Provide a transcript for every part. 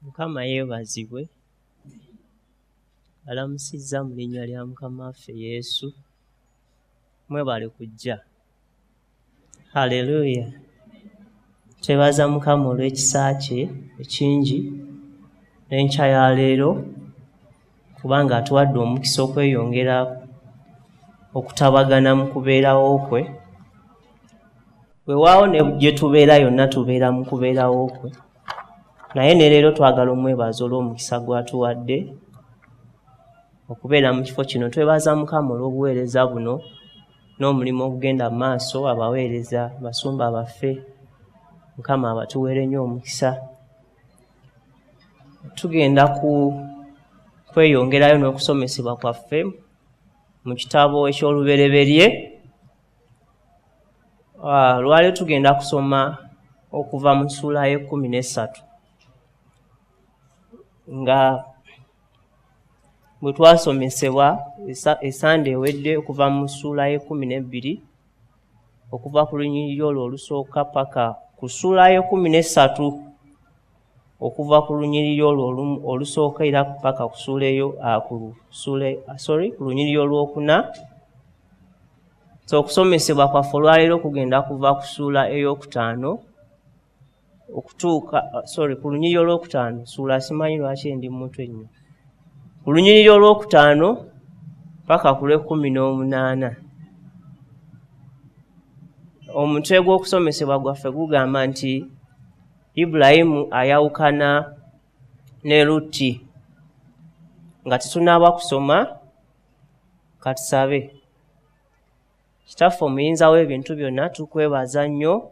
Mukama yeebazibwe. Alamusizza mu linnya lya Mukama waffe Yesu. Mwebale kujja. Haleluya. Twebaza Mukama olw'ekisa kye ekingi n'enkya ya leero, kubanga atuwadde omukisa okweyongera okutabagana mu kubeerawo kwe. Weewaawo ne gye tubeera yonna tubeera mu kubeerawo kwe. Naye ne leero twagala omwebaza olw'omukisa gw'atuwadde okubeera mu kifo kino. Twebaza Mukama olw'obuweereza buno n'omulimu ogugenda mu maaso, abaweereza, basumba baffe. Mukama abatuweere nnyo omukisa. Tugenda ku kweyongerayo n'okusomesebwa kwaffe mu kitabo eky'Olubereberye. Lwaleero tugenda kusoma okuva mu ssuula y'e13 nga bwe twasomesebwa esande ewedde okuva mu ssuula y'e12 okuva ku lunyiriri olwo olusooka paka ku ssuula y'e13 okuva ku lunyiriri olwo olusooka era paka ku ssuula eyo, ku ssuula, sorry, ku lunyiriri olwokuna. So okusomesebwa kwaffe olwaleero kugenda kuva ku ssuula ey'okutaano okutuuka, sorry, ku lunyiriri olwokutaano. Ssuula simanyi lwaki ndi mu mutwe nnyo. Ku lunyiriri olwokutaano paka ku lw'e18. Omutwe gw'okusomesebwa gwaffe gugamba nti Ibulayimu ayawukana ne Lutti. Nga tetunnaba kusoma, katusabe. Kitaffe omuyinza w'ebintu byonna, tukwebaza nnyo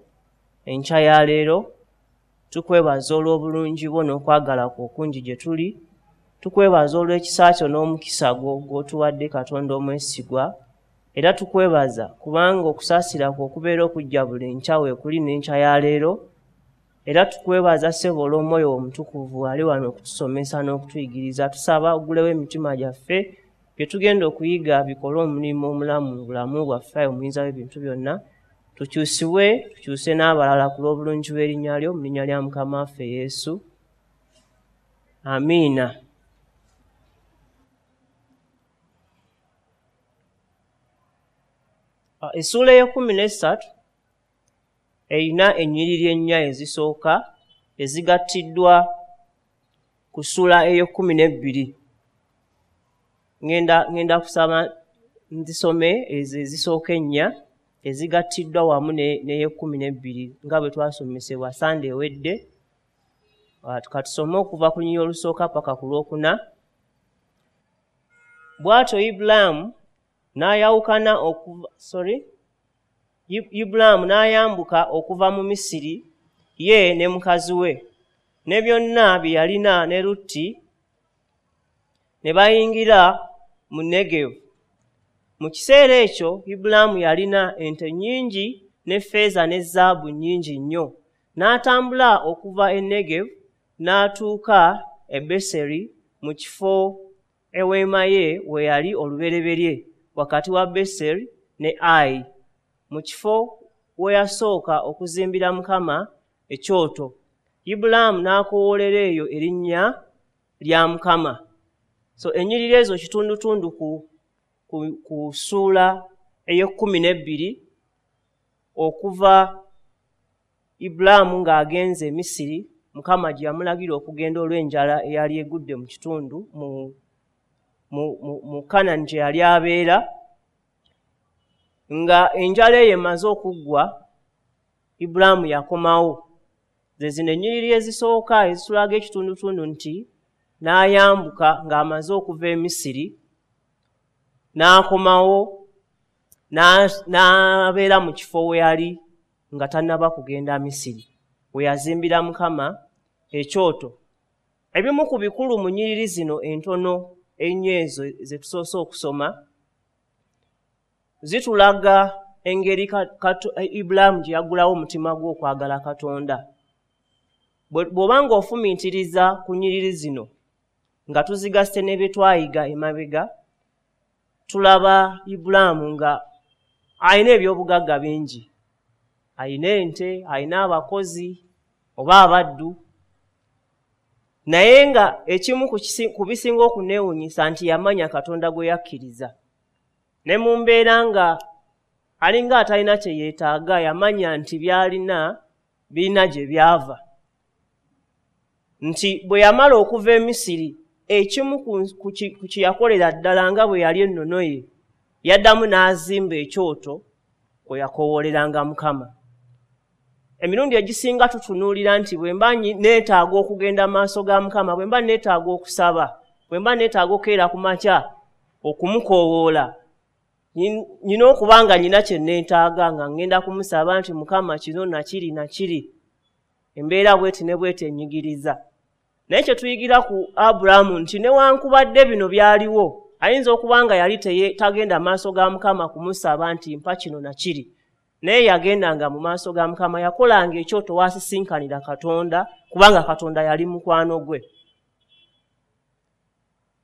enkya ya leero. Tukwebaza olw'obulungi bwo n'okwagala kwo okungi gye tuli. Tukwebaza olw'ekisa kyo n'omukisa gwo gw'otuwadde, Katonda omwesigwa. Era tukwebaza kubanga okusaasira kwo okubeera okujja buli nkya weekuli n'enkya ya leero. Era tukwebaza ssebo olw'omwoyo omutukuvu ali wano okutusomesa n'okutuyigiriza. Tusaba oggulewo emitima gyaffe, bye tugenda okuyiga bikole omulimu omulamu mu bulamu bwaffe, ayi omuyinza w'ebintu byonna. Tukyusibwe, tukyuse n'abalala ku lw'obulungi bw'erinnya lyo, mu linnya lya Mukama waffe Yesu. Amiina. Essuula ey'e13 erina ennyiriri ennya ezisooka ezigattiddwa ku ssuula ey'e12. Ngenda kusaba nzisome ezo ezisooka ennya ezigattiddwa wamu n'ey'e12 nga bwe twasomesebwa Sande ewedde. Katusome okuva ku lunyiriri olusooka paka ku lwokuna. Bw'atyo Ibulaamu n'ayawukana okuva, sorry, Ibulaamu n'ayambuka okuva mu Misiri, ye ne mukazi we, ne byonna bye yalina ne Lutti, ne bayingira mu Negevu. Mu kiseera ekyo Ibulaamu yalina ente nnyingi ne ffeeza ne zaabu nnyingi nnyo. N'atambula okuva e Negevu n'atuuka e Beseri, mu kifo eweema ye we yali olubereberye, wakati wa Beseri ne Ayi, mu kifo we yasooka okuzimbira Mukama ekyoto. Ibulaamu n'akoowoolera eyo erinnya lya Mukama. So ennyiriri ezo kitundutundu ku ssuula ey'e12 okuva Ibulaamu ng'agenze e Misiri, Mukama gye yamulagira okugenda olw'enjala eyali egudde mu kitundu mu Kanani gye yali abeera. Nga enjala eyo emaze okuggwa, Ibulaamu yakomawo. Ze zino ennyiriri ezisooka ezitulaga ekitundutundu nti n'ayambuka ng'amaze okuva e Misiri, n'akomawo, n'abeera mu kifo we yali nga tannaba kugenda Misiri, we yazimbira Mukama ekyoto. Ebimu ku bikulu mu nnyiriri zino entono ennyo ezo ze tusoose okusoma zitulaga engeri Ibulaamu gye yaggulawo omutima gwe okwagala Katonda. Bw'oba ng'ofumiitiriza ku nnyiriri zino nga tuzigasse ne bye twayiga emabega, tulaba Ibulaamu nga alina ebyobugagga bingi. Alina ente, alina abakozi oba abaddu, Naye nga ekimu ku bisinga okuneewuunyisa nti yamanya Katonda gwe yakkiriza. Ne mu mbeera nga alinga atalina kye yeetaaga, yamanya nti by'alina birina gye byava. Nti bwe yamala okuva e Misiri, ekimu ku kye yakolera ddala nga bwe yali ennono ye, yaddamu n'azimba ekyoto kwe yakowooleranga Mukama. Emirundi egisinga tutunuulira nti bwe mba neetaaga okugenda mu maaso ga Mukama, bwe mba neetaaga okusaba, bwe mba neetaaga okukeera ku makya okumukoowoola, nnina okuba nga nnina kye neetaaga, nga ŋŋenda kumusaba nti Mukama kino nakiri nakiri, embeera bw'eti ne bw'eti ennyigiriza. Naye kye tuyigira ku Abulaamu nti newankubadde bino byaliwo, ayinza okuba nga yali tagenda maaso ga Mukama kumusaba nti mpa kino nakiri, naye yagendanga mu maaso ga Mukama, yakolanga ekyoto waasisinkanira Katonda, kubanga Katonda yali mukwano gwe.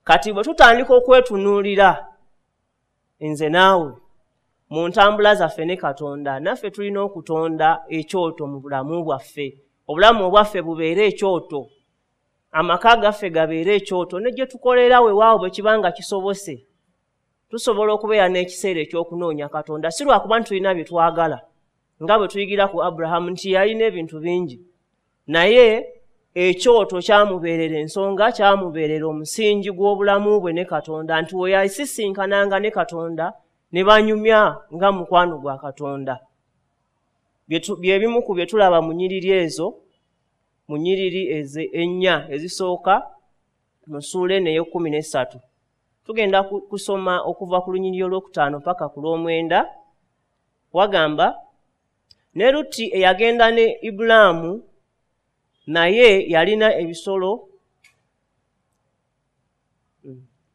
Kati bwe tutandika okwetunuulira nze naawe mu ntambula zaffe ne Katonda, naffe tulina okutonda ekyoto mu bulamu bwaffe. Obulamu obwaffe bubeere ekyoto, amaka gaffe gabeere ekyoto, ne gye tukolera weewaawo bwe kiba nga kisobose, tusobola okubeera n'ekiseera eky'okunoonya Katonda, si lwakuba nti tulina bye twagala, nga bwe tuyigira ku Aburahamu nti yalina ebintu bingi, naye ekyoto kyamubeerera ensonga, kyamubeerera omusingi gw'obulamu bwe ne Katonda, nti we yasisinkananga ne Katonda ne banyumya nga mukwano gwa Katonda. Bye bimu ku bye tulaba mu nnyiriri ezo, mu nnyiriri ennya ezisooka mu ssuula eno ey'ekkumi n'essatu. Tugenda kusoma okuva ku lunyiriri olwokutaano paka ku lw'omwenda. Wagamba, ne Lutti eyagenda ne Ibulaamu naye yalina ebisolo,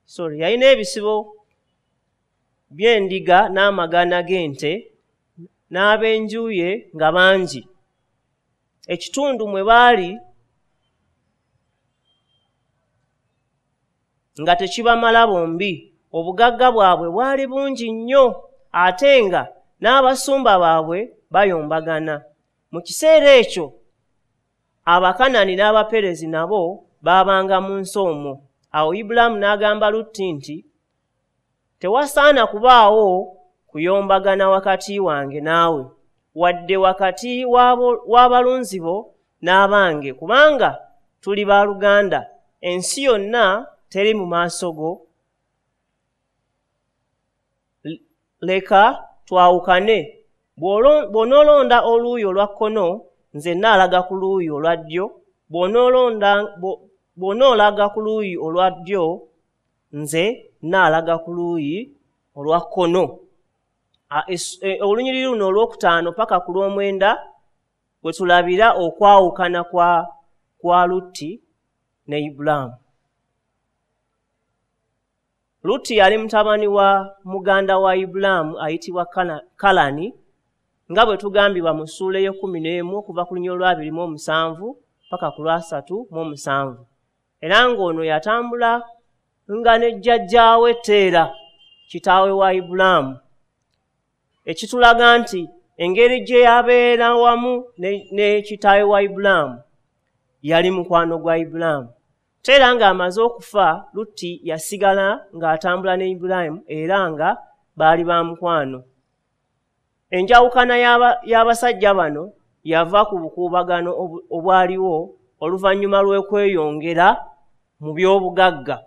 sorry, yalina ebisibo by'endiga n'amagana g'ente n'ab'enju ye nga bangi. Ekitundu mwe baali nga tekibamala bombi, obugagga bwabwe bwali bungi nnyo, ate nga n'abasumba baabwe bayombagana. Mu kiseera ekyo Abakanani n'Abaperezi nabo baabanga mu nsi omwo. Awo Ibulaamu n'agamba Lutti nti, tewasaana kubaawo kuyombagana wakati wange naawe, wadde wakati w'abalunzi bo n'abange, kubanga tuli baluganda. Ensi yonna teri mu maaso go. Leka twawukane. Bw'onoolonda oluuyi olwa kkono, nze nnaalaga ku luuyi olwa ddyo. Bw'onoolaga ku luuyi olwa ddyo, nze nnaalaga ku luuyi olwa kkono. Olunyiriri luno olwokutaano paka ku lw'omwenda we tulabira okwawukana kwa Lutti ne Ibulaamu. Lutti yali mutabani wa muganda wa Ibulaamu ayitibwa Kalani, nga bwe tugambibwa mu ssuula ey'ekkumi n'emu okuva ku lunyiriri olwa 27 paka ku lwa 37. Era ng'ono yatambula nga ne jjajjaawe Teera, kitaawe wa Ibulaamu, ekitulaga nti engeri gye yabeera wamu ne kitaawe wa Ibulaamu, yali mukwano gwa Ibulaamu. Teera ng'amaze okufa, Lutti yasigala ng'atambula ne Ibulaamu era nga baali ba mukwano. Enjawukana y'abasajja bano yava ku bukuubagano obwaliwo oluvannyuma lw'okweyongera mu by'obugagga.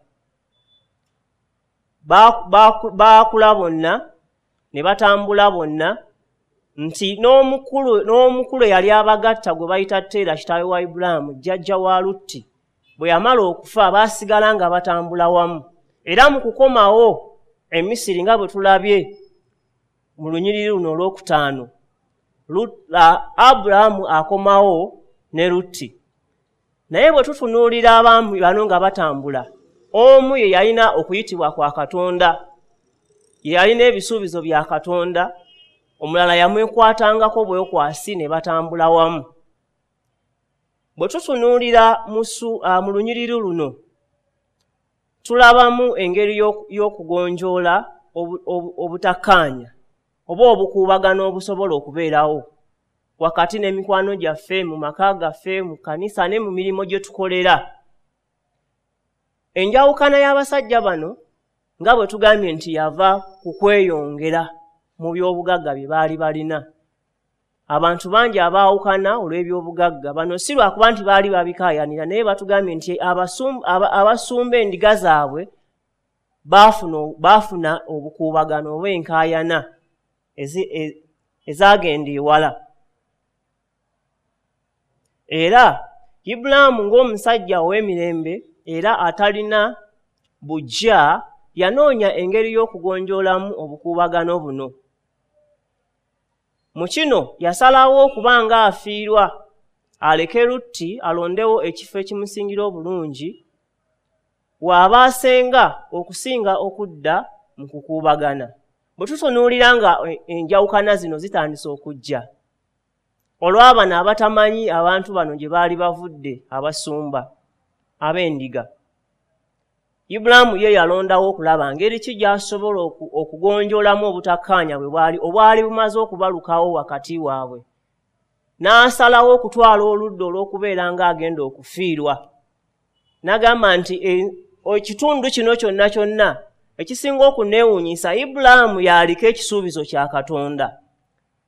Baakula bonna ne batambula bonna, nti n'omukulu eyali abagatta gwe bayita Teera, kitaawe wa Ibulaamu, jjajja wa Lutti, bwe yamala okufa baasigala nga batambula wamu. Era mu kukomawo e Misiri, nga bwe tulabye mu lunyiriri luno olwokutaano, Abulaamu akomawo ne Lutti. Naye bwe tutunuulira abaami bano nga batambula, omu ye yalina okuyitibwa kwa Katonda, ye yalina ebisuubizo bya Katonda, omulala yamwekwatangako bwekwasi ne batambula wamu. Bwe tutunuulira mu lunyiriri luno, tulabamu engeri y'okugonjoola obutakkaanya oba obukuubagano obusobola okubeerawo wakati n'emikwano gyaffe, mu maka gaffe, mu kkanisa ne mu mirimu gye tukolera. Enjawukana y'abasajja bano nga bwe tugambye nti yava ku kweyongera mu by'obugagga bye baali balina. Abantu bangi abaawukana olw'ebyobugagga bano si lwakuba nti baali babikaayanira, naye batugambye nti abasumba endiga zaabwe baafuna obukuubagano oba enkaayana ezagenda ewala. Era Ibulaamu ng'omusajja ow'emirembe era atalina buggya yanoonya engeri y'okugonjoolamu obukuubagano buno. Mu kino yasalawo okuba ng'afiirwa aleke Lutti alondewo ekifo ekimusingira obulungi w'aba asenga okusinga okudda mu kukuubagana. Bwe tutunuulira nga enjawukana zino zitandise okujja olw'abano abatamanyi abantu bano gye baali bavudde, abasumba ab'endiga, Ibulaamu ye yalondawo okulaba ngeri ki gy'asobola okugonjoolamu obutakkaanya bwe bwali obwali bumaze okubalukawo wakati waabwe, n'asalawo okutwala oludda olw'okubeera ng'agenda okufiirwa. N'agamba nti ekitundu kino kyonna kyonna ekisinga okuneewuunyisa, Ibulaamu y'aliko ekisuubizo kya Katonda.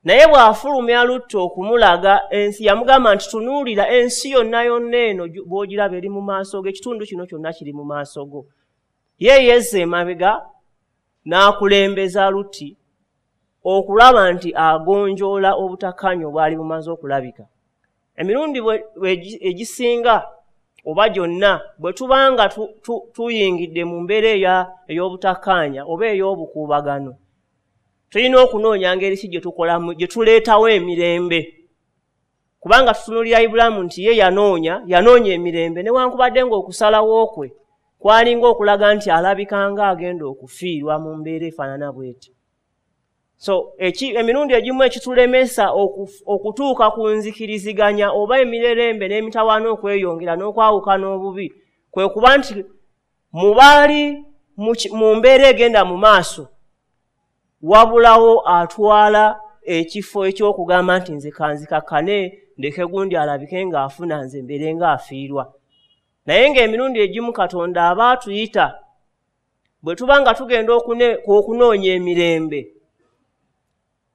Naye bw'afulumya Lutti okumulaga ensi, yamugamba nti tunuulira ensi yonna yonna eno bw'ogiraba eri mu maaso go, ekitundu kino kyonna kiri mu maaso go. Ye yezza emabega n'akulembeza Lutti okulaba nti agonjoola obutakkaanya obwali bumaze okulabika. Emirundi egisinga oba gyonna bwe tubanga tuyingidde mu mbeera ey'obutakkaanya oba ey'obukuubagano, tulina okunoonya ngeri ki gye tukolamu, gye tuleetawo emirembe. Kubanga tutunuulira Ibulaamu nti ye yanoonya emirembe, newankubadde ng'okusalawo kwe kwalinga okulaga nti alabika ng'agenda okufiirwa mu mbeera efaanana bw'eti. So emirundi egimu ekitulemesa okutuuka ku nzikiriziganya oba emirerembe n'emitawaana okweyongera n'okwawukana obubi kwe kuba nti mubaali mu mbeera egenda mu maaso wabulawo atwala ekifo eky'okugamba nti nze kanzikakkane ndeke gundi alabike ng'afuna nze mbeere ng'afiirwa. Naye ng'emirundi egimu Katonda aba atuyita bwe tuba nga tugenda okunoonya emirembe,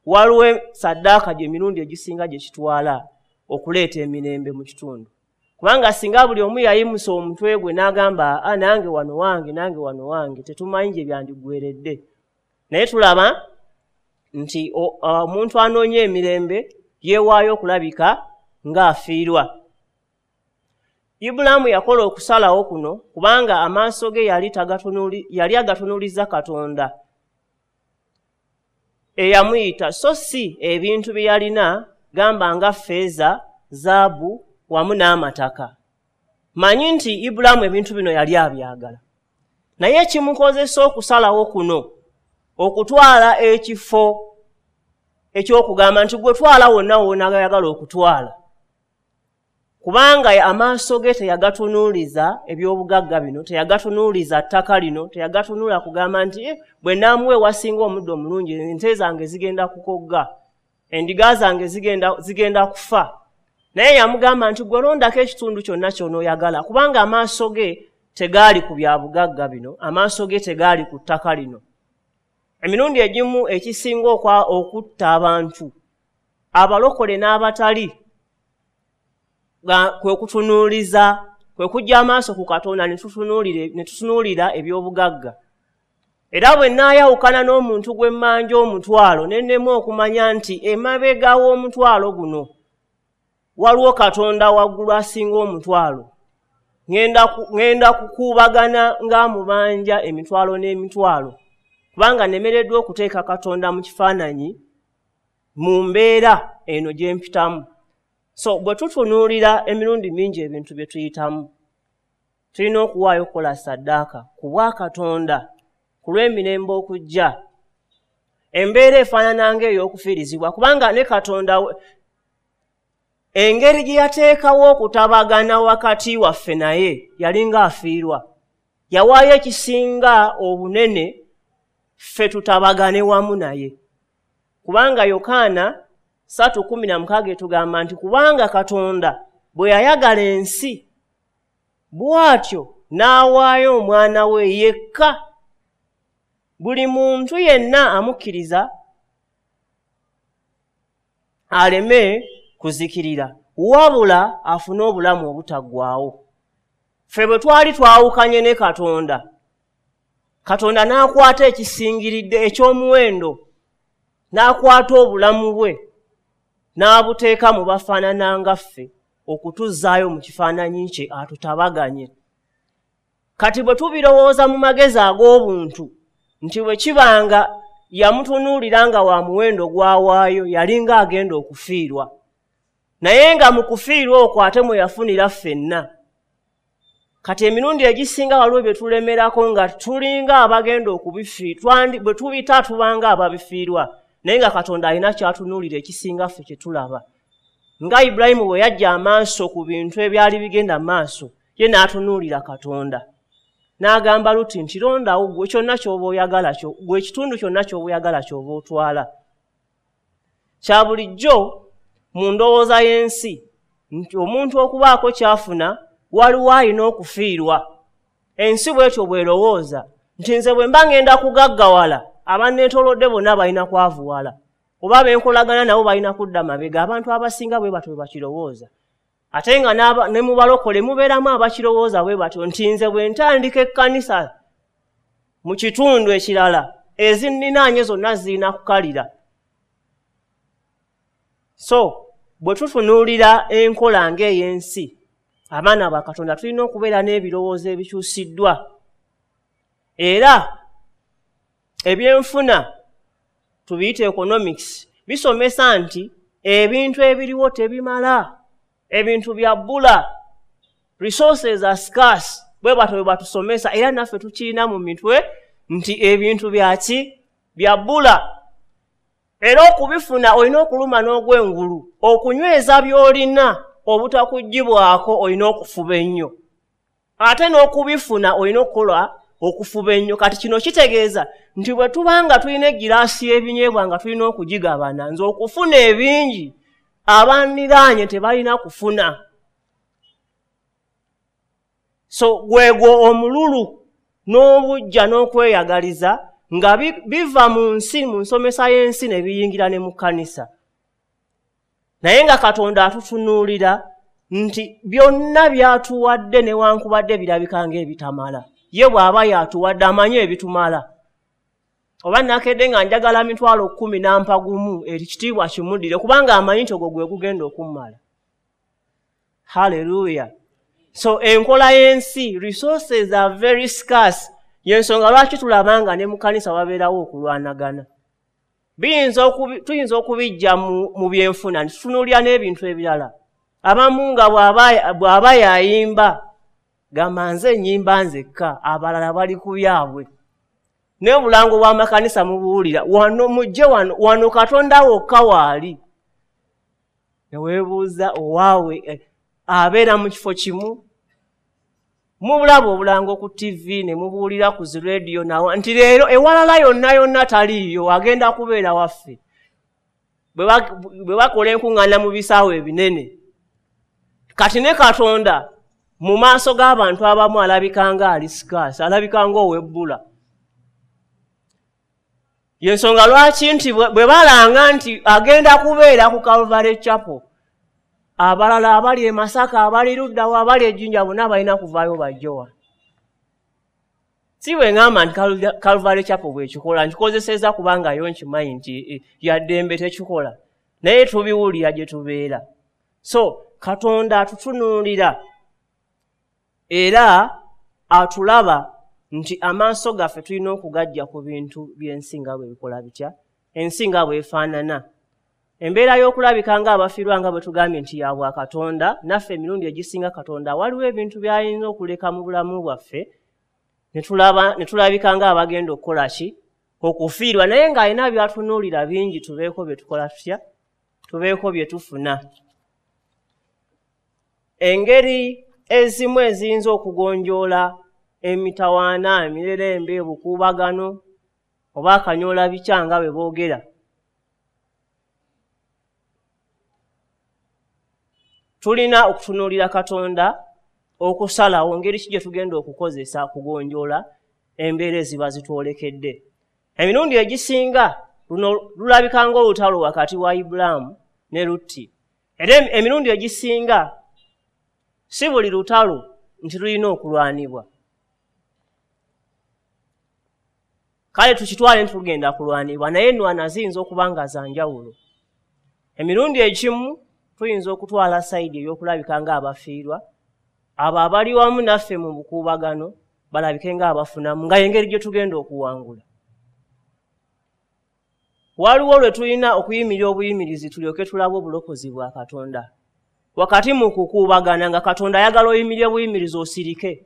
waliwo saddaaka gy'emirundi egisinga gye kitwala okuleeta emirembe mu kitundu. Kubanga singa buli omu yayimusa omutwe gwe n'agamba nange wano wange, nange wano wange, tetumanyi gye byandiggweredde. Naye tulaba nti omuntu anoonya emirembe yeewaayo okulabika ng'afiirwa. Ibulaamu yakola okusalawo kuno kubanga amaaso ge yali agatunuuliza Katonda eyamuyita, so si ebintu bye yalina gamba nga ffeeza, zaabu wamu n'amataka. Manyi nti Ibulaamu ebintu bino yali abyagala, naye ekimukozesa okusalawo kuno okutwala ekifo eky'okugamba nti gwe twala wonna w'onaayagala okutwala, kubanga amaaso ge teyagatunuuliza eby'obugagga bino, teyagatunuuliza ttaka lino, teyagatunuula kugamba nti bwe naamuwa ewasinga omuddo omulungi ente zange zigenda kukogga, endiga zange zigenda kufa. Naye yamugamba nti gwe londako ekitundu kyonna ky'onooyagala, kubanga amaaso ge tegaali ku bya bugagga bino, amaaso ge tegaali ku ttaka lino. Emirundi egimu ekisinga okutta abantu abalokole n'abatali kwe kutunuuliza, kwe kuggya amaaso ku Katonda ne tutunuulira eby'obugagga. Era bwe nnaayawukana n'omuntu gwe mmanja omutwalo ne nnema okumanya nti emabega w'omutwalo guno waliwo Katonda waggulu asinga omutwalo, ŋŋenda kukuubagana ng'amubanja emitwalo n'emitwalo, kubanga nnemereddwa okuteeka Katonda mu kifaananyi mu mbeera eno gye mpitamu. So bwe tutunuulira emirundi mingi ebintu bye tuyitamu, tulina okuwaayo okukola saddaaka ku bwa Katonda ku lw'emirembe okujja. Embeera efaanana ng'ey'okufiirizibwa, kubanga ne Katonda engeri gye yateekawo okutabagana wakati waffe naye yalinga afiirwa. Yawaayo ekisinga obunene ffe tutabagane wamu naye. Kubanga Yokaana 3:16 etugamba nti kubanga Katonda bwe yayagala ensi bw'atyo n'awaayo omwana we yekka, buli muntu yenna amukkiriza aleme kuzikirira, wabula afune obulamu obutaggwaawo. Ffe bwe twali twawukanye ne Katonda, Katonda n'akwata ekisingiridde eky'omuwendo, n'akwata obulamu bwe n'abuteeka mu bafaanana nga ffe okutuzzaayo mu kifaananyi kye atutabaganye. Kati bwe tubirowooza mu magezi ag'obuntu nti bwe kibanga yamutunuulira nga wa muwendo gw'awaayo, yalinga agenda okufiirwa, naye nga mu kufiirwa okwo ate mwe yafunira ffenna. Kati emirundi egisinga waliwo bye tulemerako nga tulinga abagenda okubifiirwa, bwe tubita tubanga ababifiirwa, naye nga Katonda alina ky'atunuulira ekisinga ffe kye tulaba. Nga Ibulayimu bwe yajja amaaso ku bintu ebyali bigenda maaso, ye n'atunuulira Katonda. N'agamba Luti nti londawo gwe kyonna ky'oba oyagala, gwe ekitundu kyonna ky'oba oyagala ky'oba otwala. Kya bulijjo mu ndowooza y'ensi nti omuntu okubaako ky'afuna waliwo alina okufiirwa. Ensi bw'etyo bw'erowooza nti nze bwe mba ngenda kugaggawala, abanneetoolodde bonna balina kwavuwala, oba benkolagana nabo balina kudda mabega. Abantu abasinga bwe batyo bwe bakirowooza. Ate nga ne mu balokole mubeeramu abakirowooza bwe batyo nti nze bwe ntandika ekkanisa mu kitundu ekirala, ezinninaanye zonna zirina kukalira. So bwe tutunuulira enkola ng'ey'ensi, abaana ba Katonda tulina okubeera n'ebirowoozo ebikyusiddwa. Era ebyenfuna tubiyite economics bisomesa nti ebintu ebiriwo tebimala, ebintu bya bbula, resources are scarce. Bwe batyo bwe batusomesa, era naffe tukirina mu mitwe nti ebintu byaki bya bbula. Era okubifuna olina okuluma n'ogw'engulu, okunyweza by'olina obutakuggyibwako olina okufuba ennyo, ate n'okubifuna olina okukola okufuba ennyo. Kati kino kitegeeza nti bwe tuba nga tulina egiraasi y'ebinyeebwa nga tulina okugigabana, nze okufuna ebingi abanniraanye tebalina kufuna. So gwegwo omululu n'obujja n'okweyagaliza nga biva mu nsi, mu nsomesa y'ensi ne biyingira ne mu kkanisa. Naye nga Katonda atutunuulira nti byonna by'atuwadde newankubadde birabika ng'ebitamala, ye bw'aba y'atuwadde amanyi ebitumala. Oba nakedde nga njagala 10,000 n'ampa gumu, ekitiibwa kimuddire kubanga amanyi nti ogwo gwe gugenda okummala. Hallelujah. So enkola y'ensi, resources are very scarce. Y'ensonga lwaki tulaba nga ne mu kkanisa wabeerawo okulwanagana. Tuyinza okubijja mu byenfuna, tutunuulira n'ebintu ebirala. Abamu nga bw'aba yayimba, gamba nze nnyimba nzekka, abalala bali ku byabwe. N'obulango bw'amakanisa mubuwulira, wano mujje wano, wano Katonda wokka waali. Ne weebuuza owaawe abeera mu kifo kimu. Mubulaba obulango ku TV ne mubuwulira ku zi rediyo nawa nti leero ewalala yonna yonna taliiyo, agenda kubeera waffe. Bwe bakola enkuŋŋaana mu bisaawe ebinene. Kati ne Katonda mu maaso g'abantu abamu alabika nga ali scarce, alabika ng'owebbula. Y'ensonga lwaki nti bwe balanga nti agenda kubeera ku Calvary Chapel, abalala abali e Masaka, abali luddawo, abali e Jinja bonna balina kuvaayo bajjowa. Si bwe ŋŋamba nti Calvary Chapel bw'ekikola, nkikozesezza kubanga yo nkimanyi nti yaddembe tekikola, naye tubiwulira gye tubeera. So Katonda atutunuulira era atulaba nti amaaso gaffe tulina okugajja ku bintu by'ensi nga bwe bikola bitya, ensi nga bw'efaanana. Embeera y'okulabika ng'abafiirwa nga bwe tugambye nti ya bwa Katonda, naffe emirundi egisinga Katonda waliwo ebintu by'ayinza okuleka mu bulamu bwaffe ne tulabika ng'abagenda okukola ki? Okufiirwa, naye ng'alina by'atunuulira bingi tubeeko bye tukola tutya, tubeeko bye tufuna. Engeri ezimu eziyinza okugonjoola emitawaana, emirerembe, obukuubagano oba akanyoola bikya nga bwe boogera. Tulina okutunuulira Katonda, okusalawo ngeri ki gye tugenda okukozesa okugonjoola embeera eziba zitwolekedde. Emirundi egisinga luno lulabika ng'olutalo wakati wa Ibulaamu ne Lutti. Era emirundi egisinga si buli lutalo nti lulina okulwanibwa. Kale tukitwale nti lugenda kulwanibwa, naye ennwana ziyinza okuba nga za njawulo. Emirundi egimu tuyinza okutwala sayidi ey'okulabika ng'abafiirwa, abo abali wamu naffe mu bukuubagano balabike ng'abafunamu, nga y'engeri gye tugenda okuwangula. Waliwo lwe tulina okuyimirira obuyimirizi tulyoke tulabe obulokozi bwa Katonda. Wakati mu kukuubagana nga Katonda ayagala oyimirire buyimirizi osirike.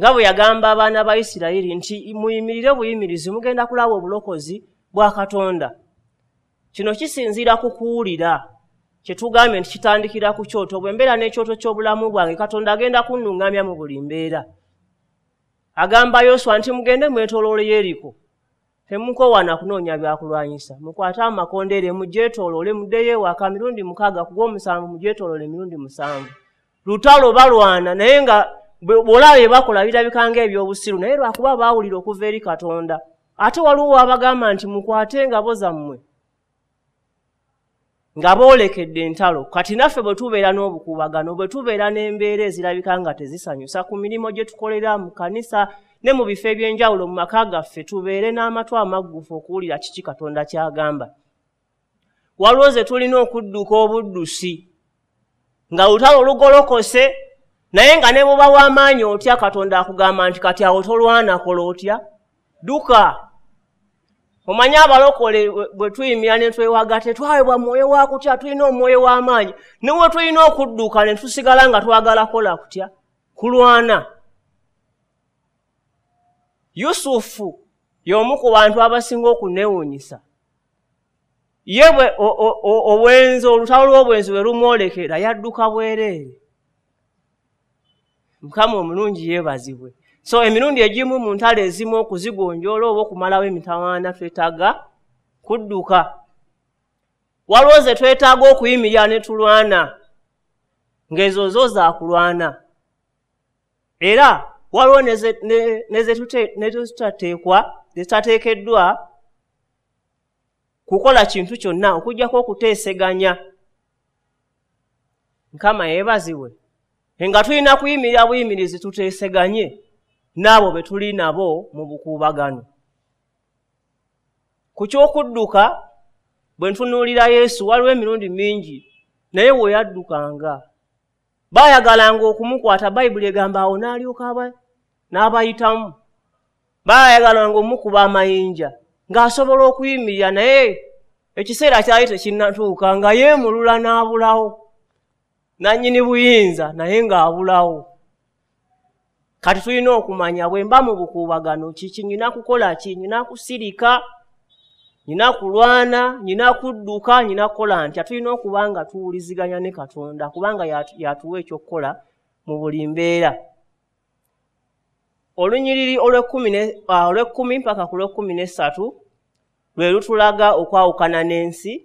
Nga bwe yagamba abaana ba Isirayiri nti muyimirire buyimirizi mugenda kulaba obulokozi bwa Katonda. Kino kisinziira ku kuwulira. Kye tugambye nti kitandikira ku kyoto. Bwe mbeera n'ekyoto ky'obulamu bwange, Katonda agenda kunnuŋŋamya mu buli mbeera. Agamba Yoswa nti mugende mwetooloole Yeriko. Temukoowa na kunoonya byakulwanyisa. Mukwate amakondeere mugyetooloole, muddeyo ewaka mirundi 6, ku gw'omusanvu mugyetooloole emirundi 7. Lutalo balwana naye nga bw'olaba bye bakola birabika ng'ebyobusiru, naye lwakuba baawulira okuva eri Katonda. Ate waliwo abagamba nti mukwate engabo zammwe nga boolekedde entalo. Kati naffe bwe tubeera n'obukuubagano, bwe tubeera n'embeera ezirabika nga tezisanyusa ku mirimu gye tukolera mu kkanisa ne mu bifo eby'enjawulo mu maka gaffe, tubeere n'amatu amaggufu okuwulira kiki Katonda ky'agamba. Waliwo ze tulina okudduka obuddusi nga lutalo lugolokose, naye nga ne bw'oba w'amaanyi otya, Katonda akugamba nti kati awo tolwana, kola otya? Dduka. Omanye abalokole bwe tuyimira ne twewaga, tetwawebwa mwoyo wa kutya, tulina omwoyo w'amaanyi. Ne we tulina okudduka ne tusigala nga twagala kola kutya? Kulwana. Yusufu y'omu ku bantu abasinga okunneewuunyisa. Ye bwe obwenzi, olutalo lw'obwenzi bwe lumwolekera, yadduka bwereere. Mukama omulungi yeebazibwe. So emirundi egimu mu ntalo ezimu okuzigonjoola oba okumalawo emitawaana twetaaga kudduka. Waliwo ze twetaaga okuyimirira ne tulwana, ng'ezo zo za kulwana. Era waliwo nezitateekeddwa kukola kintu kyonna okuggyako okuteeseganya. Mukama yeebazibwe. Nga tulina kuyimirira buyimirizi tuteeseganye n'abo be tuli nabo mu bukuubagano. Ku ky'okudduka, bwe ntunuulira Yesu, waliwo emirundi mingi naye we yaddukanga. Baayagalanga okumukwata, Bayibuli egamba awo n'alyoka n'abayitamu. Baayagalanga omukuba amayinja ng'asobola okuyimirira, naye ekiseera kyali tekinnatuuka nga yeemulula n'abulawo. Nannyini buyinza naye ng'abulawo. Kati tulina okumanya bwe mba mu bukuubagano kiki nnina kukola ki, nnina kusirika, nnina kulwana, nnina kudduka, nnina kukola ntya. Tulina okuba nga tuwuliziganya ne Katonda kubanga y'atuwa ekyokukola mu buli mbeera. Olunyiriri olw'ekkumi mpaka ku lw'ekkumi n'essatu lwe lutulaga okwawukana n'ensi.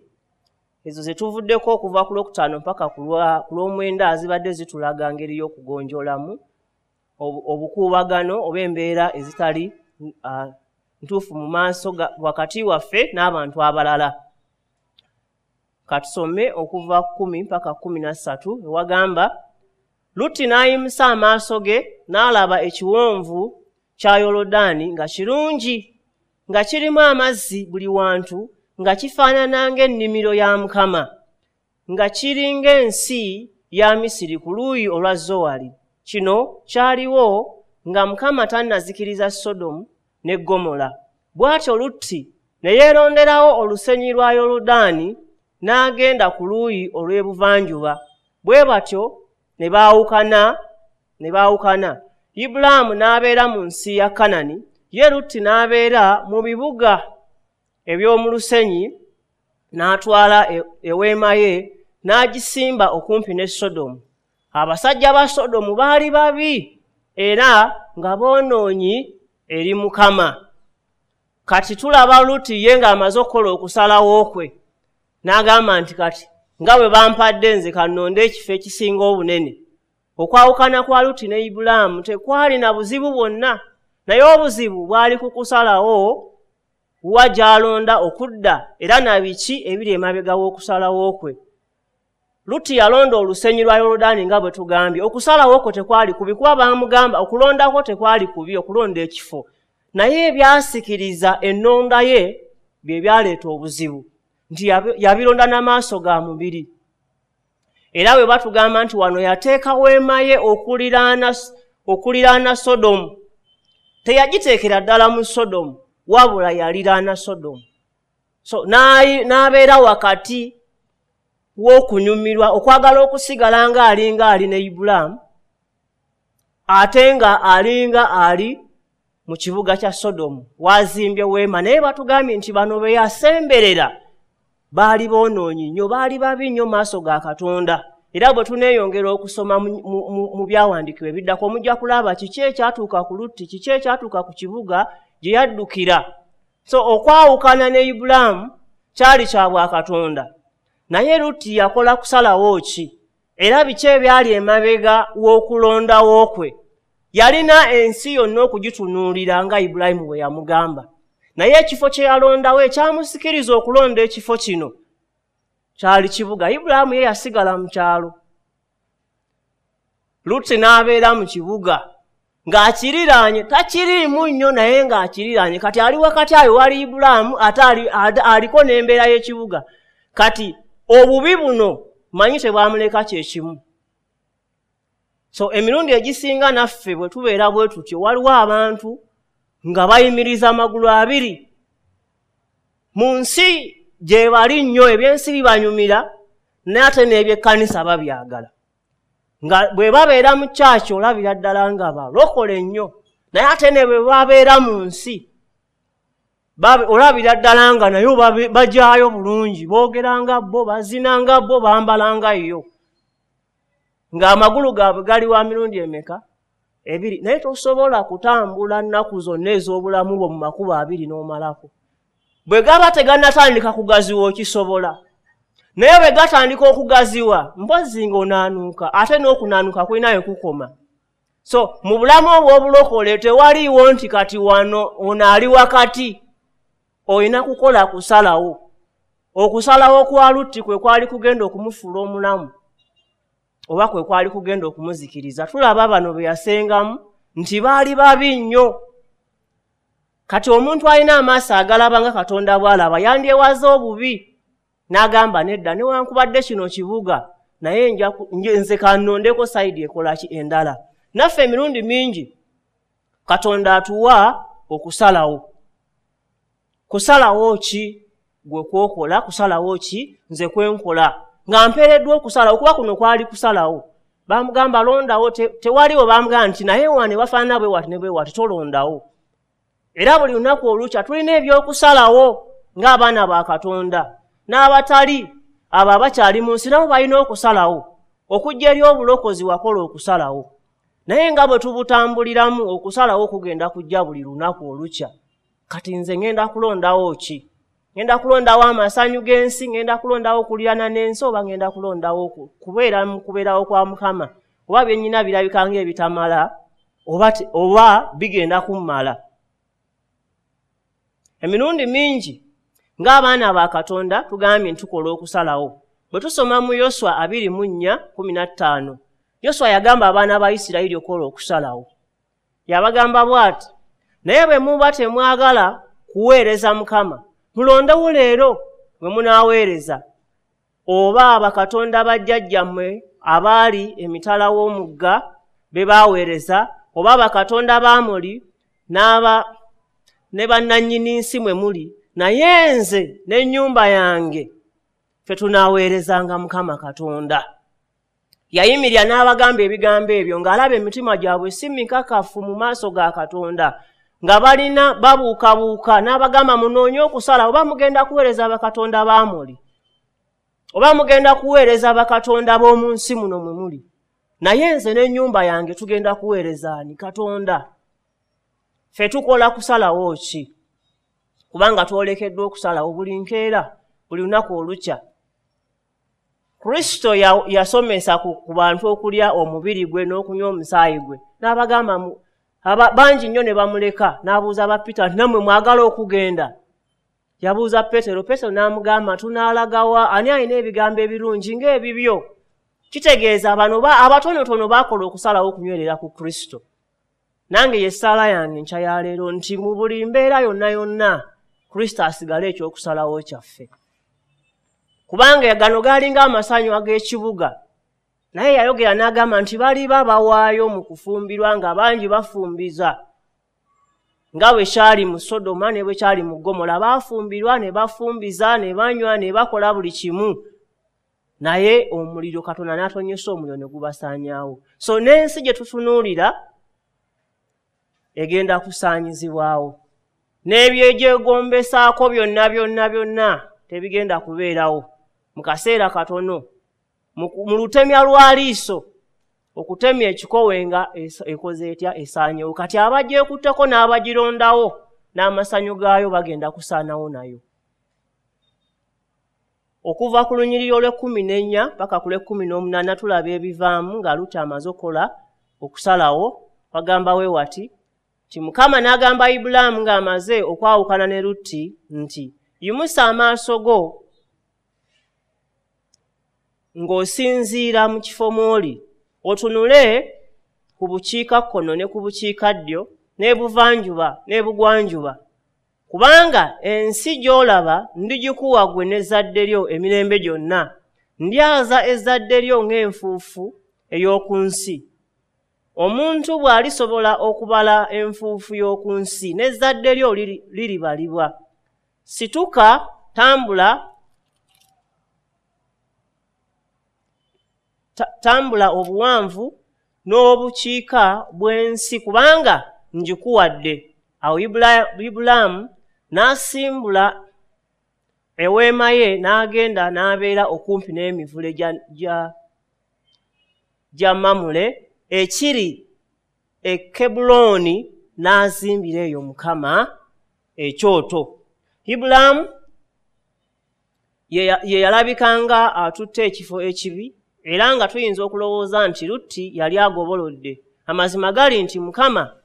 Ezo ze tuvuddeko okuva ku lwokutaano mpaka ku lw'omwenda zibadde zitulaga ngeri y'okugonjoolamu obukuubagano oba embeera ezitali ntuufu mu maaso wakati waffe n'abantu abalala. Katusome okuva 10 mpaka 13 ewagamba, Lutti n'ayimusa amaaso ge n'alaba ekiwonvu kya Yoludaani nga kirungi, nga kirimu amazzi buli wantu, nga kifaanana ng'ennimiro ya Mukama, nga kiri ng'ensi ya Misiri ku luuyi olwa Zowali. Kino kyaliwo nga Mukama tannazikiriza Sodomu ne Ggomola. Bw'atyo Lutti ne yeeronderawo olusenyi lwa Yoludaani n'agenda ku luuyi olw'ebuvanjuba. Bwe batyo ne baawukana. Ibulaamu n'abeera mu nsi ya Kanani, ye Lutti n'abeera mu bibuga eby'omu lusenyi, n'atwala eweema ye n'agisimba okumpi ne Sodomu. Abasajja ba Sodomu baali babi era nga boonoonyi eri Mukama. Kati tulaba Lutti ye ng'amaze okukola okusalawo kwe, n'agamba nti kati nga bwe bampadde nze kannonde ekifo ekisinga obunene. Okwawukana kwa Lutti ne Ibulaamu tekwalina buzibu bwonna, naye obuzibu bwali ku kusalawo wa gy'alonda okudda era na biki ebiri emabega w'okusalawo kwe. Lutti yalonda olusenyi lwa Yoludaani nga bwe tugambye. Okusalawo kwe tekwali kubi, kuba baamugamba okulondako tekwali kubi, okulonda ekifo, naye ebyasikiriza ennonda ye bye byaleeta obuzibu, nti yabironda n'amaaso ga mubiri. Era bwe batugamba nti wano yateeka weema ye okuliraana Sodomu, teyagiteekera ddala mu Sodomu, wabula yaliraana Sodomu. So n'abeera wakati w'okunyumirwa, okwagala okusigala ng'alinga ali ne Ibulaamu, ate nga alinga ali mu kibuga kya Sodomu, wazimbye weema. Naye batugambye nti bano be yasemberera baali boonoonyi nnyo, baali babi nnyo mu maaso ga Katonda. Era bwe tuneeyongera okusoma mu byawandiikibwa ebiddako, mujja kulaba kiki ekyatuuka ku Lutti, kiki ekyatuuka ku kibuga gye yaddukira. So okwawukana ne Ibulaamu kyali kya bwakatonda, naye Lutti yakola kusalawo ki? Era biki ebyali emabega w'okulondawo kwe? Yalina ensi yonna okugitunuulira nga Ibulayimu bwe yamugamba, naye ekifo kye yalondawo ekyamusikiriza okulonda ekifo kino kyali kibuga. Ibulayimu ye yasigala mu kyalo, Lutti n'abeera mu kibuga ng'akiriraanye, takiriimu nnyo naye ng'akiriraanye. Kati ali wakati ayo wali Ibulaamu, ate aliko n'embeera y'ekibuga. Kati obubi buno manyi tebwamuleka kyekimu. So emirundi egisinga naffe bwe tubeera bwe tutyo, waliwo abantu nga bayimiriza amagulu abiri mu nsi gye bali nnyo, ebyensi bibanyumira, naye ate n'ebyekkanisa babyagala. Nga bwe babeera mu kyaki olabira ddala nga balokole nnyo, naye ate ne bwe babeera mu nsi olabira ddala nga nayo bajaayo bulungi, boogeranga bo, bazinanga bo, bambalanga yo, ng'amagulu gaabwe gali wa mirundi emeka? Ebiri. Naye tosobola kutambula nnaku zonna ez'obulamu bwo mu makubo abiri n'omalako. Bwe gaba tegannatandika kugaziwa okisobola, naye bwe gatandika okugaziwa mpozzi ng'onaanuuka, ate n'okunaanuuka kulinayo kukoma. So mu bulamu obw'obulokole tewaliiwo nti kati wano ono ali wakati, olina kukola kusalawo. Okusalawo kwa Lutti kwe kwali kugenda okumufuula omulamu oba kwe kwali kugenda okumuzikiriza. Tulaba bano be yasengamu nti baali babi nnyo. Kati omuntu alina amaaso agalaba nga Katonda bw'alaba yandyewaza obubi n'agamba nedda, newankubadde kino kibuga, naye nze kannondeko sayidi ekola ki endala. Naffe emirundi mingi Katonda atuwa okusalawo. Kusalawo ki gwe kwokola, kusalawo ki nze kwenkola, nga mpeereddwa okusalawo, kuba kuno kwali kusalawo. Bamugamba londawo, tewaliwo bamugamba nti naye wane wafaanana bwe wati ne bwe wati, tolondawo. Era buli lunaku olukya tulina ebyokusalawo ng'abaana ba Katonda, n'abatali abo abakyali mu nsi nabo balina okusalawo. Okujja eri obulokozi wakola okusalawo, naye nga bwe tubutambuliramu okusalawo kugenda kujja buli lunaku olukya. Kati nze ngenda kulondawo ki? Ngenda kulondawo amasanyu g'ensi, ngenda kulondawo okulirana n'ensi, oba ngenda kulondawo kubeera mu kubeerawo kwa Mukama? Oba bye nnyina birabika ng'ebitamala, oba bigenda kummala. Emirundi mingi ng'abaana ba Katonda tugambye nti tukola okusalawo. Bwe tusoma mu Yoswa 24:15, Yoswa yagamba abaana ba Isirayiri okukola okusalawo. Yabagamba bw'ati, naye bwe muba temwagala kuweereza Mukama, mulondewo leero bwe munaaweereza, oba bakatonda bajjajjammwe abaali emitala w'omugga be baaweereza, oba bakatonda b'Amoli ne bannannyini nsi mwe muli, naye nze n'ennyumba yange ffe tunaaweerezanga Mukama Katonda. Yayimirira n'abagamba ebigambo ebyo ng'alaba emitima gyabwe si mikakafu mu maaso ga Katonda, nga balina babuukabuuka, n'abagamba munoonye okusala, oba mugenda kuweereza bakatonda b'Amoli, oba mugenda kuweereza bakatonda b'omu nsi muno mwe muli, naye nze n'ennyumba yange tugenda kuweereza ani? Katonda. Ffe tukola kusalawo ki? Kubanga twolekeddwa okusalawo buli nkeera, buli lunaku olukya. Kristo yasomesa ku bantu okulya omubiri gwe n'okunywa omusaayi gwe, n'abagamba bangi nnyo ne bamuleka. N'abuuza ba Peter nti nammwe mwagala okugenda? Yabuuza Petero, Petero n'amugamba tunaalagawa? Ani alina ebigambo ebirungi ng'ebibyo? Kitegeeza bano abatonotono baakola okusalawo okunywerera ku Kristo. Nange ye ssaala yange enkya ya leero nti mu buli mbeera yonna yonna Kristo asigale ekyokusalawo kyaffe, kubanga gano gaalinga amasanyu ag'ekibuga. Naye yayogera n'agamba nti baliba bawaayo mu kufumbirwa nga bangi bafumbiza, nga bwe kyali mu Sodoma ne bwe kyali mu Ggomola. Baafumbirwa ne bafumbiza ne banywa ne bakola buli kimu, naye omuliro Katonda n'atonyesa omuliro ne gubasaanyaawo. So n'ensi gye tutunuulira egenda kusaanyizibwawo, n'ebyegyegombesaako byonna byonna byonna tebigenda kubeerawo mu kaseera katono. Mu lutemya lwa liiso, okutemya ekikowe nga ekoze etya, esaanyewo. Kati abagyekutteko n'abagirondawo n'amasanyu gaayo bagenda kusaanawo nayo. Okuva ku lunyiriri olw'e14 paka ku lw'e18 tulaba ebivaamu nga Lutti amaze okukola okusalawo. Bagamba we wati nti Mukama n'agamba Ibulaamu ng'amaze okwawukana ne Lutti nti yimusa amaaso go ng'osinziira mu kifo mw'oli, otunule ku bukiikakkono ne ku bukiikaddyo n'ebuvanjuba n'ebugwanjuba, kubanga ensi gy'olaba ndigikuwa ggwe n'ezzadde lyo emirembe gyonna. Ndyaza ezzadde lyo ng'enfuufu ey'oku nsi. Omuntu bw'alisobola okubala enfuufu y'oku nsi, n'ezzadde lyo liribalibwa. Situka, tambula obuwanvu n'obukiika bw'ensi, kubanga ngikuwadde. Awo Ibulaamu n'asimbula eweema ye n'agenda n'abeera okumpi n'emivule gya Mamule ekiri e Kebbulooni, n'azimbira eyo Mukama ekyoto. Ibulaamu ye yalabikanga atutte ekifo ekibi, era nga tuyinza okulowooza nti Lutti yali agobolodde. Amazima gali nti Mukama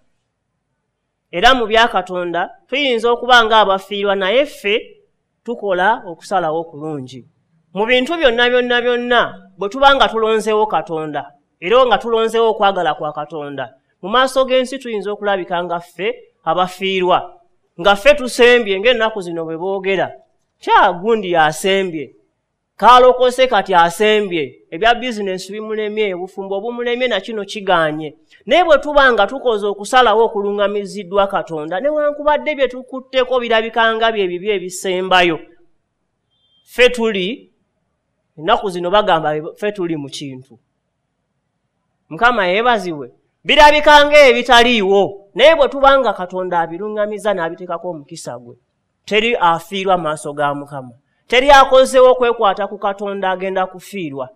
era mu bya Katonda tuyinza okuba nga abafiirwa, naye ffe tukola okusalawo okulungi mu bintu byonna byonna byonna. Bwe tuba nga tulonzeewo Katonda era nga tulonzeewo okwagala kwa Katonda, mu maaso g'ensi tuyinza okulabika nga ffe abafiirwa, nga ffe tusembye ng'ennaku zino bwe boogera kya gundi yasembye, kaalokose kati asembye, ebya bizinensi bimulemye, obufumbo bumulemye, na kino kigaanye. Naye bwe tuba nga tukoze okusalawo okuluŋŋamiziddwa Katonda, newankubadde bye tukutteko birabika nga bye bibi ebisembayo, ffe tuli, ennaku zino bagamba ffe tuli mu kintu. Mukama yeebazibwe. Birabika ng'ebitaliiwo, naye bwe tuba nga Katonda abiruŋŋamiza n'abiteekako omukisa gwe, teri afiirwa maaso ga Mukama. Teri akozeewo okwekwata ku Katonda agenda kufiirwa.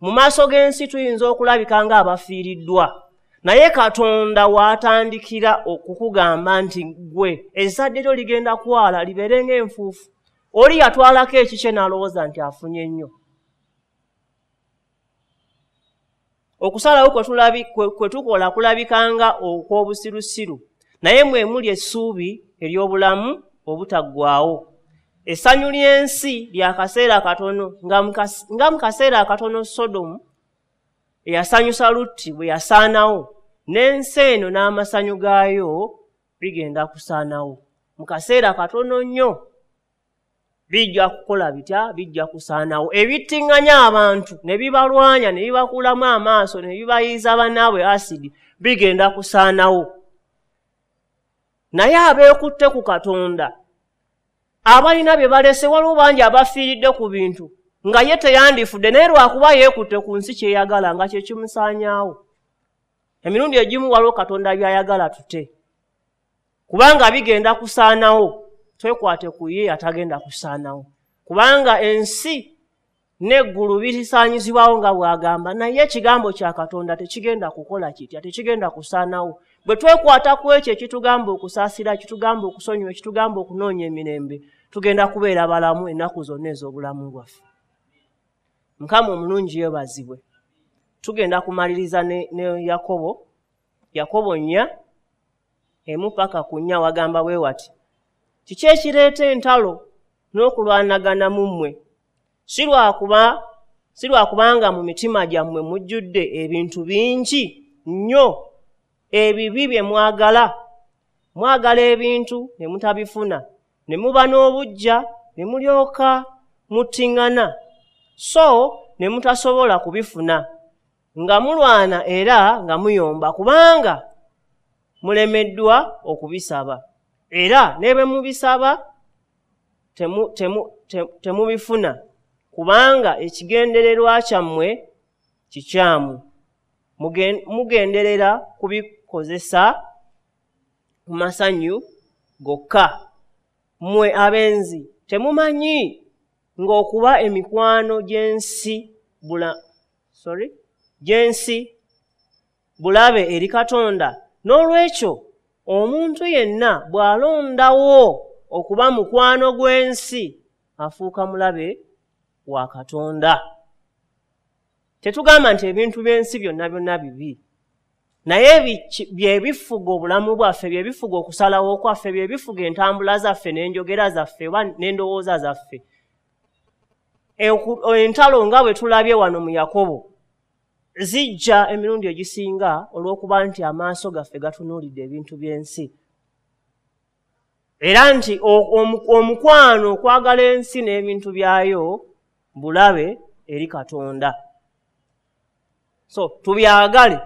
Mu maaso g'ensi tuyinza okulabika ng'abafiiriddwa, naye Katonda w'atandikira okukugamba nti ggwe ezzadde lyo ligenda kwala libeere ng'enfuufu. Oli yatwalako ekikye n'alowooza nti afunye nnyo. Okusalawo kwe tukola kulabika nga okw'obusirusiru, naye mwe muli essuubi ery'obulamu obutaggwaawo. Essanyu ly'ensi lya kaseera katono, nga mu kaseera akatono Sodomu eyasanyusa Lutti bwe yasaanawo, n'ensi eno n'amasanyu gaayo bigenda kusaanawo. Mu kaseera katono nnyo bijja kukola bitya? Bijja kusaanawo. Ebittiŋŋanya abantu ne bibalwanya ne bibakuulamu amaaso ne bibayiiza bannaabwe asidi bigenda kusaanawo. Naye abeekutte ku Katonda, abalina bye balese, waliwo bangi abafiiridde ku bintu nga ye teyandifudde, naye lwakuba yeekutte ku nsi kyeyagala nga kye kimusaanyaawo. Emirundi egimu waliwo Katonda by'ayagala tute, kubanga bigenda kusaanawo. Twekwate ku ye atagenda kusaanawo, kubanga ensi n'eggulu birisaanyizibwawo nga bw'agamba, naye ekigambo kya Katonda tekigenda kukola kitya, tekigenda kusaanawo. Bwe twekwata ku ekyo ekitugamba okusaasira, ekitugamba okusonyiwa, ekitugamba okunoonya emirembe, tugenda kubeera balamu ennaku zonna ez'obulamu bwaffe. Mukama omulungi yeebazibwe. Tugenda kumaliriza ne Yakobo. Yakobo 4:1-4 wagamba bwe wati: kiki ekireeta entalo n'okulwanagana mu mmwe? Si lwakubanga mu mitima gyammwe mujjudde ebintu bingi nnyo ebibi bye mwagala. Mwagala ebintu ne mutabifuna, ne muba n'obuggya, ne mulyoka muttiŋŋana, so ne mutasobola kubifuna, nga mulwana era nga muyomba, kubanga mulemeddwa okubisaba. Era ne bwe mubisaba temubifuna, kubanga ekigendererwa kyammwe kikyamu. Mugenderera kubikozesa ku masanyu gokka. Mmwe abenzi temumanyi ng'okuba emikwano gy'ensi bulabe eri Katonda? N'olwekyo omuntu yenna bw'alondawo okuba mukwano gw'ensi afuuka mulabe wa Katonda. Tetugamba nti ebintu by'ensi byonna byonna bibi, naye bye bifuga obulamu bwaffe, bye bifuga okusalawo kwaffe, bye bifuga entambula zaffe n'enjogera zaffe oba n'endowooza zaffe. Entalo nga bwe tulabye wano mu Yakobo zijja emirundi egisinga olw'okuba nti amaaso gaffe gatunuulidde ebintu by'ensi, era nti omukwano okwagala ensi n'ebintu byayo bulabe eri Katonda. So tubyagale,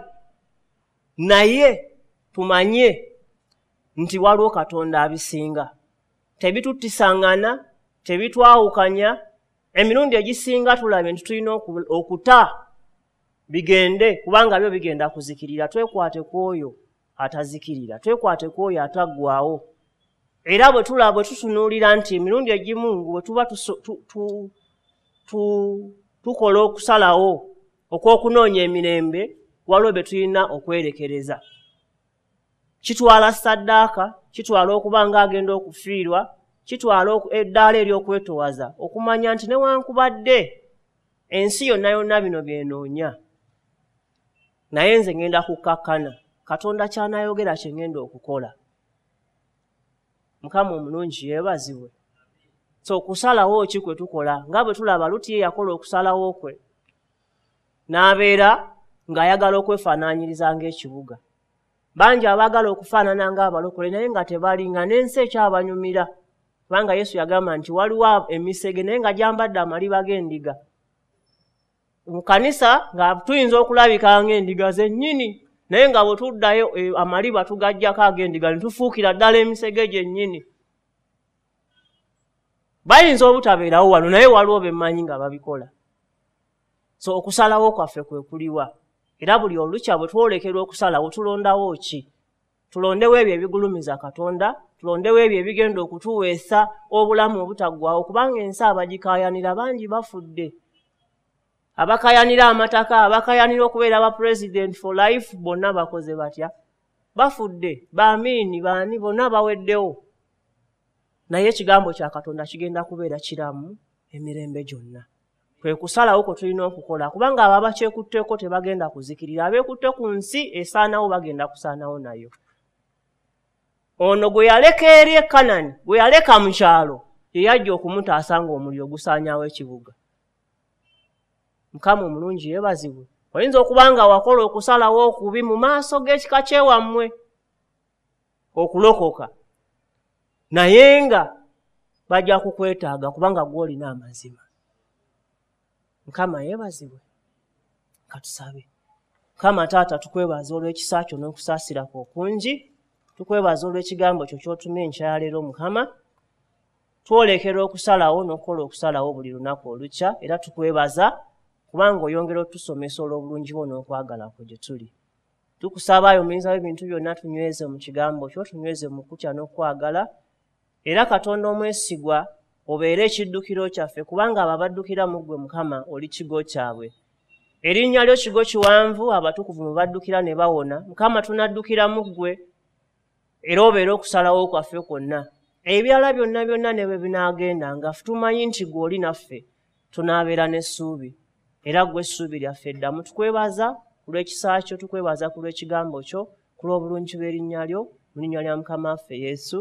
naye tumanye nti waliwo Katonda abisinga. Tebituttisangana, tebitwawukanya. Emirundi egisinga tulabye nti tulina okuta bigende, kubanga byo bigenda kuzikirira. Twekwate ku oyo atazikirira, twekwate ku oyo ataggwaawo. Era bwe tulaba, bwe tutunuulira nti emirundi egimu bwe tuba tukola okusalawo okw'okunoonya emirembe, waliwo bye tulina okwerekereza. Kitwala saddaaka, kitwala okuba ng'agenda okufiirwa, kitwala eddaala ery'okwetowaza, okumanya nti newankubadde ensi yonna yonna bino byenoonya, naye nze ngenda kukkakkana. Katonda ky'anaayogera kye ngenda okukola. Mukama omulungi yeebazibwe. So okusalawo ki kwe tukola? Nga bwe tulaba Luti ye yakola okusalawo kwe, n'abeera ng'ayagala okwefaanaanyiriza ng'ekibuga. Bangi abaagala okufaanana ng'abalokole naye nga tebali, nga n'ensi ekyabanyumira. Kubanga Yesu yagamba nti waliwo emisege naye nga gyambadde amaliba g'endiga. Mu kanisa nga tuyinza okulabika ng'endiga zennyini, naye nga bwe tuddayo amaliba tugaggyako ag'endiga ne tufuukira ddala emisege gyennyini. Bayinza obutabeerawo wano, naye waliwo be mmanyi nga babikola. So okusalawo kwaffe kwe kuliwa? Era buli olukya bwe twolekerwa okusalawo tulondawo ki? Tulondewo ebyo ebigulumiza Katonda, tulondewo ebyo ebigenda okutuweesa obulamu obutaggwaawo, kubanga ensi abagikaayanira bangi bafudde. Abakaayanira amataka, abakaayanira okubeera ba president for life, bonna bakoze batya? Bafudde. Baamiini, baani, bonna baweddewo. Naye ekigambo kya Katonda kigenda kubeera kiramu emirembe gyonna. Kwe kusalawo kwe tulina okukola, kubanga abo abakyekutteko tebagenda kuzikirira, abeekutte ku nsi esaanawo bagenda kusaanawo nayo. Ono gwe yaleka eri e Kanani, gwe yaleka mu kyalo, ye yajja okumutaasa ng'omuliro gusaanyaawo ekibuga. Mukama omulungi yeebazibwe. Oyinza okuba nga wakola okusalawo okubi mu maaso g'ekika kyewammwe okulokoka, naye nga bajja kukwetaaga kubanga gw'olina amazima. Mukama yeebazibwe. Katusabe. Mukama Taata, tukwebaza olw'ekisa kyo n'okusaasira kwo okungi. Tukwebaza olw'ekigambo kyo ky'otumye enkya ya leero. Mukama, twolekera okusalawo n'okukola okusalawo buli lunaku olukya, era tukwebaza kubanga oyongera otusomesa olw'obulungi bwo n'okwagala kwo gye tuli. Tukusaba ayo omuyinza w'ebintu byonna, tunyweze mu kigambo kyo, tunyweze mu kutya n'okwagala. Era Katonda omwesigwa, obeere ekiddukiro kyaffe, kubanga abo abaddukira mu ggwe Mukama oli kigo kyabwe. Erinnya lyo kigo kiwanvu, abatukuvu mwe baddukira ne bawona. Mukama, tunaddukira mu ggwe, era obeere okusalawo kwaffe kwonna. Ebirala byonna byonna ne bwe binaagenda, nga tumanyi nti ggwe oli naffe, tunaabeera n'essuubi. Era ggwe essuubi lyaffe eddamu. Tukwebaza ku lw'ekisa kyo, tukwebaza ku lw'ekigambo kyo, ku lw'obulungi bw'erinnya lyo, mu linnya lya Mukama waffe Yesu.